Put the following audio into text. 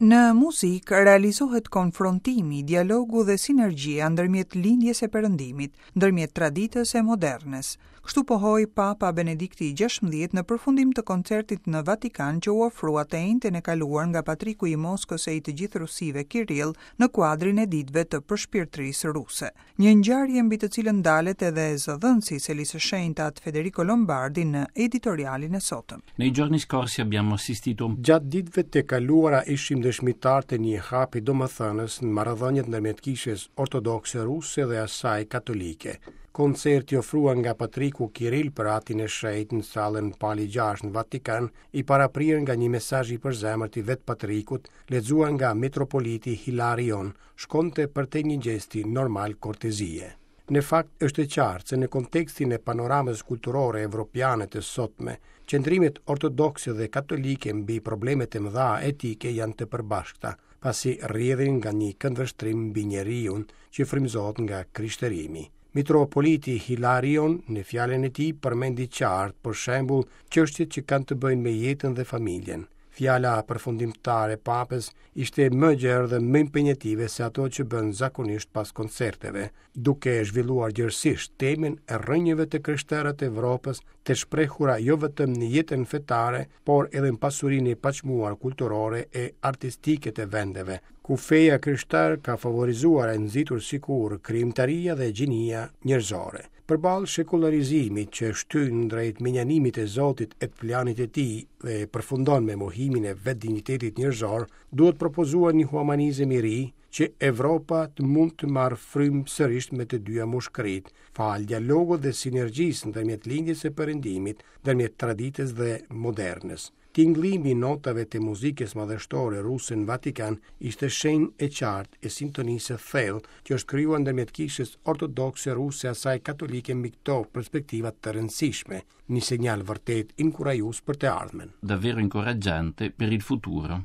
Në muzikë realizohet konfrontimi, dialogu dhe sinergjia ndërmjet Lindjes e Perëndimit, ndërmjet traditës e modernes. Kështu pohoi Papa Benedikti i XVI në përfundim të koncertit në Vatikan që u ofrua të enjten e kaluar nga Patriku i Moskës e i të gjithë Rusive Kirill në kuadrin e Ditëve të Përshpirtërisë Ruse. Një ngjarje mbi të cilën ndalet edhe zëdhënësi i Selisë së Shenjtë At Federico Lombardi në editorialin e sotëm. Nei giorni scorsi abbiamo assistito Gjatë ditëve të kaluara ishim dëshmitarë të një hapi domethënës në marrëdhëniet ndërmjet Kishës Ortodokse Ruse dhe asaj Katolike. Koncerti i ofruar nga Patriku Kiril për Atin e Shenjtë në sallën Pali VI në Vatikan, i paraprirë nga një mesazh i përzemërt i vetë Patrikut, lexuar nga Metropoliti Hilarion, shkonte përtej një gjesti normal kortezie. Në fakt, është e qartë se në kontekstin e panoramës kulturore evropiane të sotme, qëndrimet ortodokse dhe katolike mbi problemet e mëdha etike janë të përbashkëta, pasi rrjedhin nga një këndvështrim mbi njeriun që frymëzohet nga krishterimi. Mitropoliti Hilarion në fjalën e tij përmendi qartë, për shembull, çështjet që kanë të bëjnë me jetën dhe familjen. Fjala përfundimtare e Papës ishte më e gjerë dhe më impenjative se ato që bën zakonisht pas koncerteve, duke zhvilluar gjerësisht temën e rrënjëve të krishtera të Evropës, të shprehura jo vetëm në jetën fetare, por edhe në pasurinë e paçmuar kulturore e artistike të vendeve, ku feja e krishterë ka favorizuar e nxitur si kurrë krijimtaria dhe gjinia njerëzore. Përballë shekullarizimit që shtyn drejt mënjanimit të Zotit e të planit të tij dhe përfundon me mohimin e vetë dinjitetit njerëzor, duhet propozuar një humanizëm i ri që Evropa të mund të marrë frymë sërish me të dyja mushkëritë, falë dialogut dhe sinergjisë ndërmjet lindjes e perëndimit, ndërmjet traditës dhe modernes. Tingëllimi i notave të muzikës madhështore ruse në Vatikan ishte shenjë e qartë e sintonisë së thellë që është krijuar ndërmjet Kishës Ortodokse Ruse e asaj Katolike mbi këto perspektiva të rëndësishme, një sinjal vërtet inkurajues për të ardhmen. Davvero incoraggiante per il futuro.